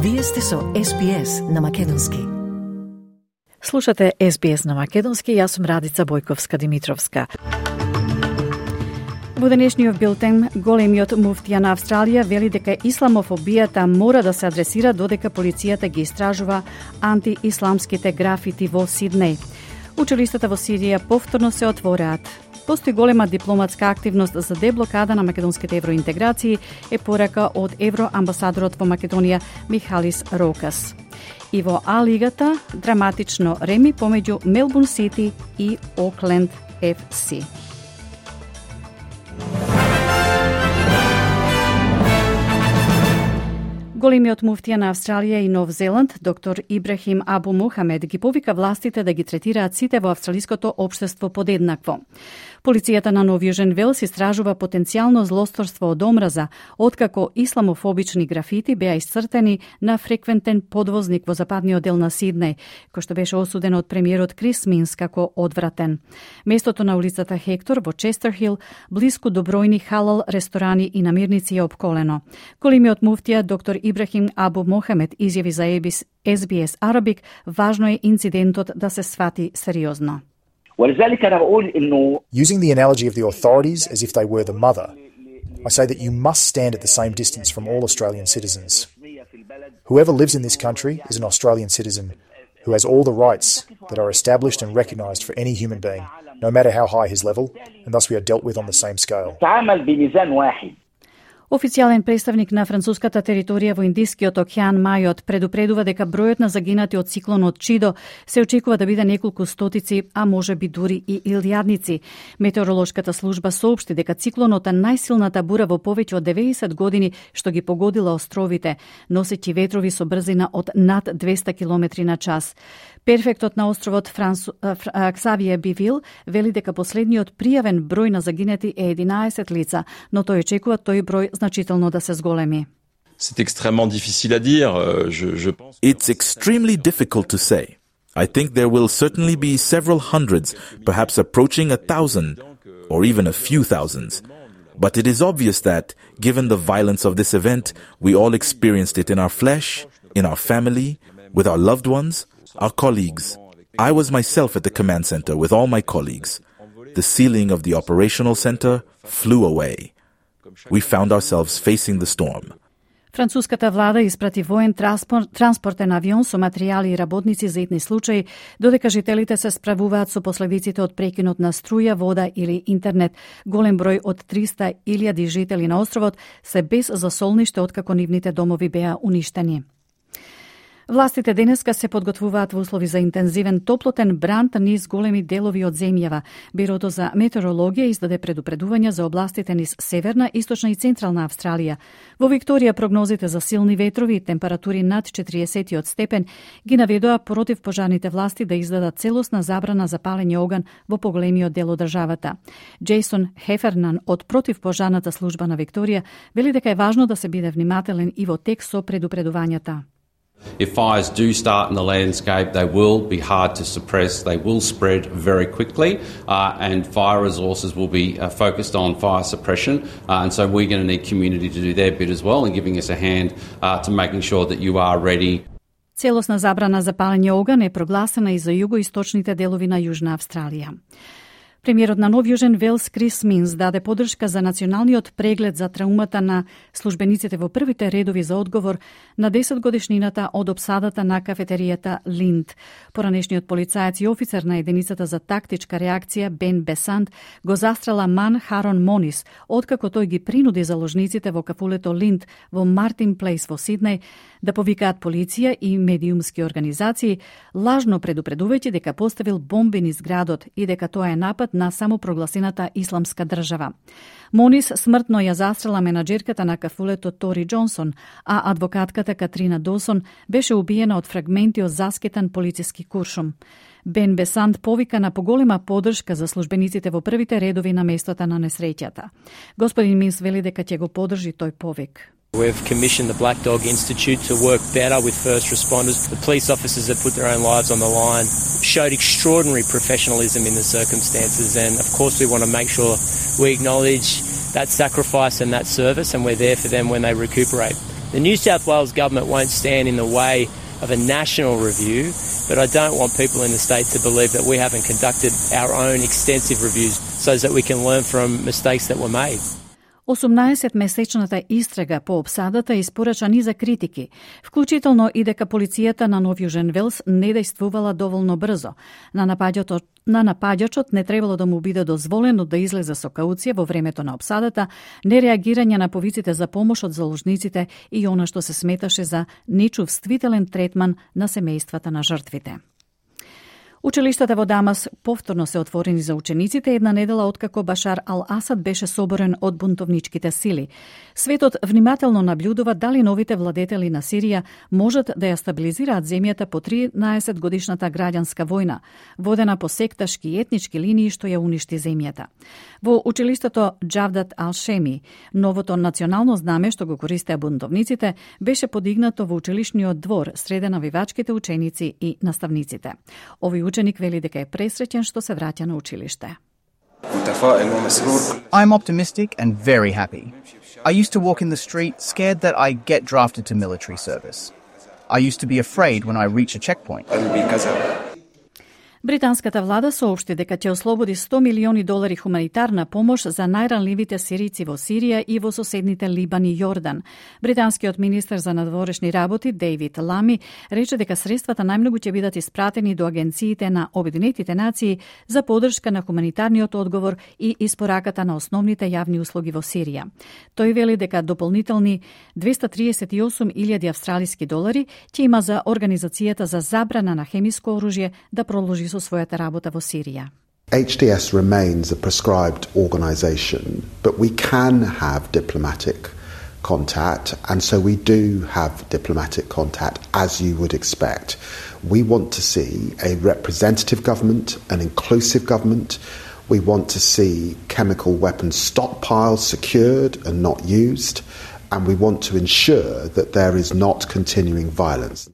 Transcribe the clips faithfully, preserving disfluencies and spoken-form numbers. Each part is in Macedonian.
Вие сте со Ес Би Ес на Македонски. Слушате Ес Би Ес на Македонски, јас сум Радица Бојковска-Димитровска. Во денешниот билтен, големиот муфтија на Австралија вели дека исламофобијата мора да се адресира додека полицијата ги истражува антиисламските графити во Сиднеј. Училиштата во Сирија повторно се отвораат. Постои голема дипломатска активност за деблокада на македонските евроинтеграции, е порака од евроамбасадорот во Македонија Михалис Рокас. И во А-лигата драматично реми помеѓу Мелбурн Сити и Окленд Еф Си. Големиот муфтија на Австралија и Нов Зеланд, доктор Ибрахим Абу Мухамед, ги повика властите да ги третираат сите во австралиското општество подеднакво. Полицијата на Нов Јужен Велс истражува потенцијално злосторство од омраза, откако исламофобични графити беа исцртени на фреквентен подвозник во западниот дел на Сиднеј, кој што беше осуден од премиерот Крис Минс како одвратен. Местото на улицата Хектор во Честерхил, блиску до бројни халал ресторани и намирници е опколено. Големиот муфтија доктор Ибрахим Абу Мохамед изјави за Ес Би Ес Арабик, важно е инцидентот да се свати сериозно. Using the analogy of the authorities as if they were the mother, I say that you must stand at the same distance from all Australian citizens. Whoever lives in this country is an Australian citizen who has all the rights that are established and recognised for any human being, no matter how high his level, and thus we are dealt with on the same scale. Официјален представник на француската територија во Индискиот океан Мајот предупредува дека бројот на загинати од циклонот Чидо се очекува да биде неколку стотици, а може би дури и илјадници. Метеоролошката служба соопшти дека циклонот е најсилната бура во повеќе од деветдесет години што ги погодила островите, носејќи ветрови со брзина од над двеста километри на час. Перфектот на островот Франсу, Ксавије Бивил вели дека последниот пријавен број на загинати е единаесет лица, но тој очекува тој број значително да се зголеми. C'est extrêmement difficile à dire. Je, je pense... It's extremely difficult to say. I think there will certainly be several hundreds, perhaps approaching a thousand, or even a few thousands. But it is obvious that, given the violence of this event, we all experienced it in our flesh, in our family, with our loved ones, our colleagues. I was myself at the command center with all my colleagues. The ceiling of the operational center flew away. We found ourselves facing the storm. Француската влада испрати воен транспорт, транспортен авион со материјали и работници за итни случаи, додека жителите се справуваат со последиците од прекинот на струја, вода или интернет. Голем број од триста илјади жители на островот се без засолниште откако нивните домови беа уништени. Властите денеска се подготвуваат во услови за интензивен топлотен бран низ големи делови од земјава. Бирото за метеорологија издаде предупредувања за областите низ северна, источна и централна Австралија. Во Викторија прогнозите за силни ветрови и температури над четириесет степен ги наведоа против пожарните власти да издадат целосна забрана за палење оган во поголемиот дел од државата. Джейсон Хефернан од противпожарната служба на Викторија вели дека е важно да се биде внимателен и во текст со предупредувањата. If fires do start in the landscape, they will be hard to suppress, they will spread very quickly, uh, and fire resources will be uh, focused on fire suppression, uh, and so we're going to need community to do their bit as well and giving us a hand uh, to making sure that you are ready. Целосна забрана за палење оган е прогласена и за југоисточните делови на Јужна Австралија. Премиерот на Нов Јужен Велс Крис Минс даде подршка за националниот преглед за траумата на службениците во првите редови за одговор на десет годишнината од опсадата на кафетеријата Линд. Поранешниот полицаец и офицер на единицата за тактичка реакција Бен Бесант го застрела Ман Харон Монис, откако тој ги принуди заложниците во кафулето Линд во Мартин Плейс во Сиднеј да повикаат полиција и медиумски организации, лажно предупредувајќи дека поставил бомби низ градот и дека тоа е напад на самопрогласената исламска држава. Монис смртно ја застрела менаџерката на кафулето Тори Џонсон, а адвокатката Катрина Досон беше убиена од фрагменти од заскетан полициски куршум. Бен Бесант повика на поголема поддршка за службениците во првите редови на местото на несреќата. Господин Минс вели дека ќе го поддржи тој повик. We've commissioned the Black Dog Institute to work better with first responders. The police officers that put their own lives on the line showed extraordinary professionalism in the circumstances, and of course we want to make sure we acknowledge that sacrifice and that service, and we're there for them when they recuperate. The New South Wales government won't stand in the way of a national review, but I don't want people in the state to believe that we haven't conducted our own extensive reviews so that we can learn from mistakes that were made. осумнаесетмесечната истрага по обсадата испорача низа критики, вклучително и дека полицијата на Нов Јужен Велс не дејствувала доволно брзо. На напаѓачот, на напаѓачот не требало да му биде дозволено да излезе со кауција во времето на обсадата, нереагирање на повиците за помош од заложниците и она што се сметаше за нечувствителен третман на семејствата на жртвите. Училиштата во Дамас повторно се отворени за учениците една недела откако Башар ал-Асад беше соборен од бунтовничките сили. Светот внимателно наблюдува дали новите владетели на Сирија можат да ја стабилизираат земјата по тринаесет годишната граѓанска војна, водена по секташки и етнички линии што ја уништи земјата. Во училиштето Џавдат ал-Шеми, новото национално знаме што го користеа бунтовниците беше подигнато во училишниот двор среде навивачките ученици и наставниците. Овој ученик вели дека е пресреќен што се враќа на училиште. I'm optimistic and very happy. I used to walk in the street scared that I get drafted to military service. I used to be afraid when I reach a checkpoint. Британската влада соопшти дека ќе ослободи сто милиони долари хуманитарна помош за најранливите сирици во Сирија и во соседните Либан и Јордан. Британскиот министер за надворешни работи Дейвид Лами рече дека средствата најмногу ќе бидат испратени до агенциите на Обединетите нации за поддршка на хуманитарниот одговор и испораката на основните јавни услуги во Сирија. Тој вели дека дополнителни двеста триесет и осум илјади австралиски долари ќе има за Организацијата за забрана на хемиско оружје да продолжи со својата работа во Сирија. H D S remains a prescribed organisation, but we can have diplomatic contact, and so we do have diplomatic contact, as you would expect. We want to see a representative government, an inclusive government. We want to see chemical weapons stockpiles secured and not used, and we want to ensure that there is not continuing violence.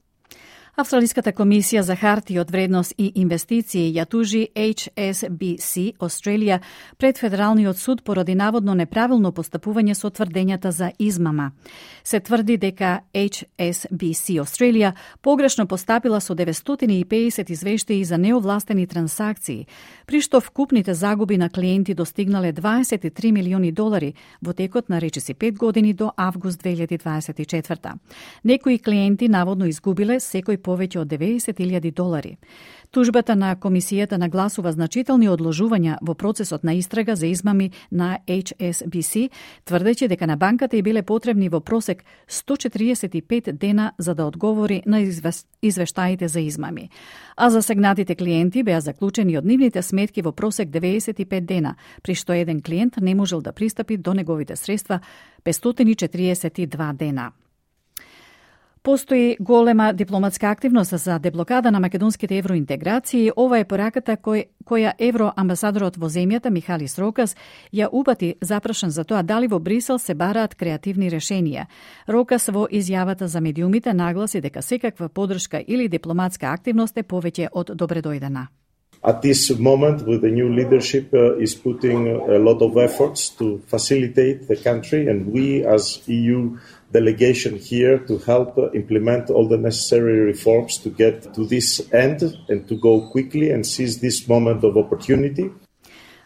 Австралиската комисија за харти од вредност и инвестиции ја тужи H S B C Australia пред Федералниот суд поради наводно неправилно постапување со тврдењата за измама. Се тврди дека H S B C Australia погрешно постапила со деветстотини и педесет извештаи за неовластени трансакции, при што вкупните загуби на клиенти достигнале дваесет и три милиони долари во текот на речиси пет години до август две илјади дваесет и четврта. Некои клиенти наводно изгубиле секој повеќе од деветдесет илјади долари. Тужбата на комисијата нагласува значителни одложувања во процесот на истрага за измами на H S B C, тврдејќи дека на банката и биле потребни во просек сто четиридесет и пет дена за да одговори на извештаите за измами. А засегнатите клиенти беа заклучени од нивните сметки во просек деветдесет и пет дена, при што еден клиент не можел да пристапи до неговите средства петстотини и четириесет и два дена. Постои голема дипломатска активност за деблокада на македонските евроинтеграции. Ова е пораката кој, која евроамбасадорот во земјата Михалис Рокас ја упати запрашан за тоа дали во Брисел се бараат креативни решенија. Рокас во изјавата за медиумите нагласи дека секаква поддршка или дипломатска активност е повеќе од добредојдена. At this moment, with the new leadership, uh, is putting a lot of efforts to facilitate the country, and we as E U delegation here to help uh, implement all the necessary reforms to get to this end and to go quickly and seize this moment of opportunity.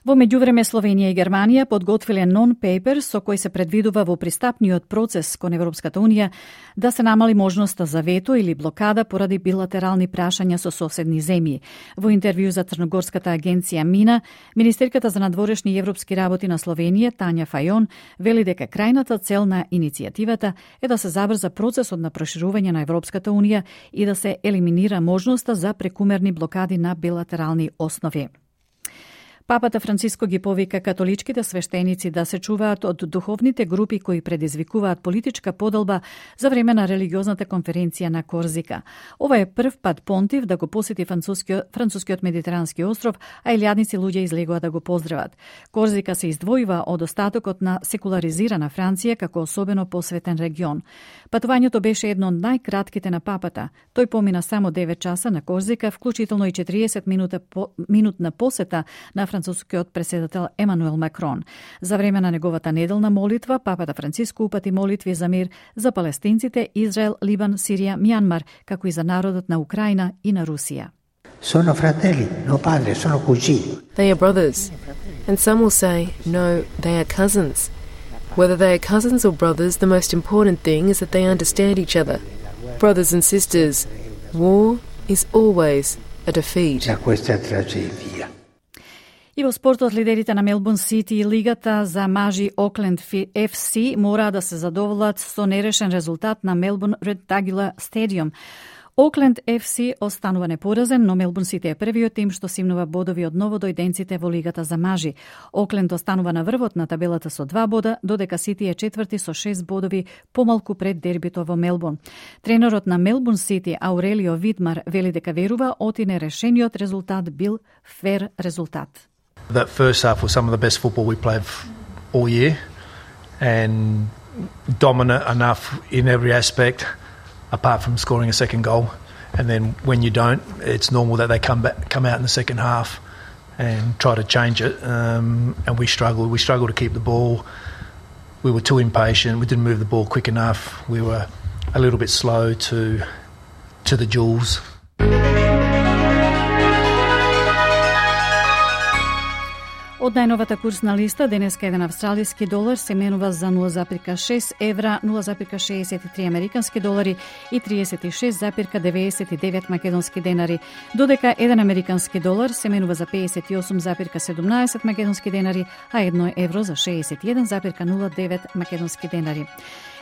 Во меѓувреме Словенија и Германија подготвиле нон-пейпер со кој се предвидува во пристапниот процес кон Европската унија да се намали можноста за вето или блокада поради билатерални прашања со соседни земји. Во интервју за Црногорската агенција Мина, министерката за надворешни и европски работи на Словенија Тања Фајон вели дека крајната цел на иницијативата е да се забрза процесот на проширување на Европската унија и да се елиминира можноста за прекумерни блокади на билатерални основи. Папата Франциско ги повика католичките свештеници да се чуваат од духовните групи кои предизвикуваат политичка поделба за време на религиозната конференција на Корзика. Ова е прв пат понтив да го посети францускиот, францускиот медитерански остров, а илјадници луѓе излегува да го поздрават. Корзика се издвојува од остатокот на секуларизирана Франција како особено посветен регион. Патувањето беше едно од најкратките на папата. Тој помина само девет часа на Корзика, вклучително и четириесет минута по, минутна посета на францускиот председател Емануел Макрон. За време на неговата неделна молитва, папата Франциско упати молитви за мир за палестинците, Израел, Либан, Сирија, Мјанмар, како и за народот на Украина и на Русија. Sono fratelli, no padre, sono cugini. They are brothers. And some will say, no, they are cousins. Whether they are cousins or brothers, the most important thing is that they understand each other. Brothers and sisters, war is always a defeat. Da questa tragedia. И во спортот, лидерите на Мелбурн Сити и лигата за мажи Окленд Еф Си мора да се задоволат со нерешен резултат на Мелбурн Редтагила стадиум. Окленд Еф Си останува непоразен, но Мелбурн Сити е првиот тим што симнува бодови од новодојденците во лигата за мажи. Окленд останува на врвот на табелата со два бода, додека Сити е четврти со шест бодови, помалку пред дербито во Мелбурн. Тренерот на Мелбурн Сити, Аурелио Видмар, вели дека верува оти нерешениот резултат бил фер резултат. That first half was some of the best football we played all year and dominant enough in every aspect, apart from scoring a second goal. And then when you don't, it's normal that they come back, come out in the second half and try to change it. Um, and we struggled. We struggled to keep the ball. We were too impatient. We didn't move the ball quick enough. We were a little bit slow to to the duels. Од најновата курсна листа, денеска еден австралиски долар се менува за нула запирка шест евра, нула запирка шеесет и три американски долари и триесет и шест запирка деветдесет и девет македонски денари, додека еден американски долар се менува за пеесет и осум запирка седумнаесет македонски денари, а едно евро за шеесет и еден запирка нула девет македонски денари.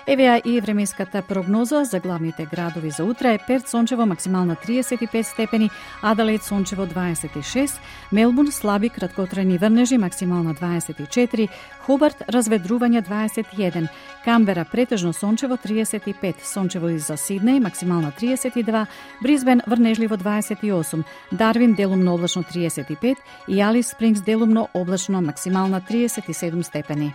Евеа и временската прогноза за главните градови за утре: Перт сончево, максимална триесет и пет степени, Аделаид сончево дваесет и шест, Мелбурн слаби краткотрajни врнежи, максимална дваесет и четири, Хобарт разведрување дваесет и еден, Камбера претежно сончево триесет и пет, сончево и за Сиднеј, максимална триесет и два, Брисбен врнежливо дваесет и осум, Дарвин делумно облачно триесет и пет и Алис Спрингс делумно облачно, максимална триесет и седум степени.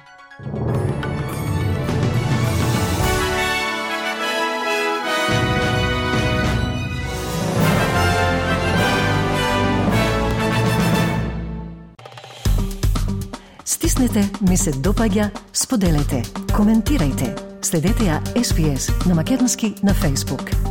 Стиснете, ми се допаѓа, споделете, коментирајте. Следете ја Ес Би Ес на македонски на Facebook.